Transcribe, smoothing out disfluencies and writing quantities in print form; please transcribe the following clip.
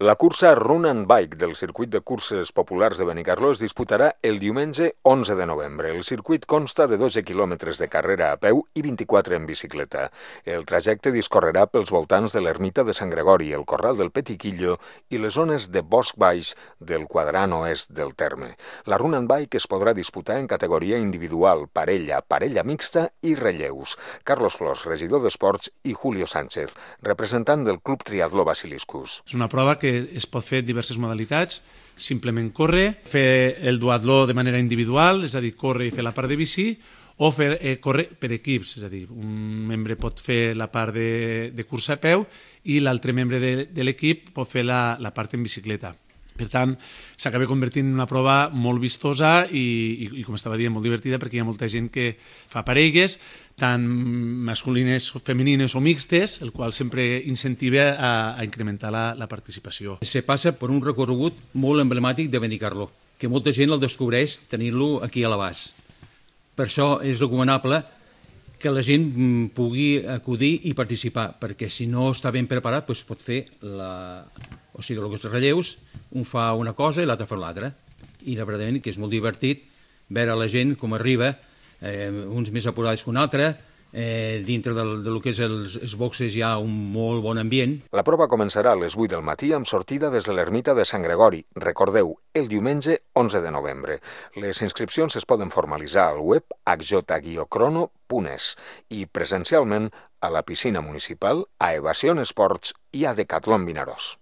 La cursa Run and Bike del circuit de curses populars de Benicarló es disputarà el diumenge 11 de novembre. El circuit consta de 12 quilòmetres de carrera a peu i 24 en bicicleta. El trajecte discorrerà pels voltants de l'ermita de Sant Gregori, el Corral del Petiquillo i les zones de bosc baix del quadrant oest del terme. La Run and Bike es podrà disputar en categoria individual, parella, parella mixta i relleus. Carlos Flors, regidor d'Esports, i Julio Sánchez, representant del Club Triatló Basiliscus. És una prova que es pot fer en diverses modalitats, simplement córrer, fer el duatló de manera individual, és a dir, córrer i fer la part de bici, o fer córrer per equips, és a dir, un membre pot fer la part de cursa a peu i l'altre membre de l'equip pot fer la part en bicicleta. Per tant, s'acaba convertint en una prova molt vistosa i, com estava dient, molt divertida, perquè hi ha molta gent que fa parelles, tant masculines, femenines o mixtes, el qual sempre incentiva a incrementar la participació. Se passa per un recorregut molt emblemàtic de Benicarló, que molta gent el descobreix tenint-lo aquí a l'abast. Per això és recomanable que la gent pugui acudir i participar, perquè si no està ben preparat doncs pot fer els relleus, un fa una cosa i l'altre fa l'altra. I la veritat que és molt divertit veure la gent com arriba, uns més apurats que un altre, dintre del que és els boxes hi ha un molt bon ambient. La prova començarà a les 8 del matí amb sortida des de l'ermita de Sant Gregori. Recordeu, el diumenge 11 de novembre. Les inscripcions es poden formalitzar al web hj-crono.es i presencialment a la piscina municipal, a Evasion Esports i a Decathlon Vinaròs.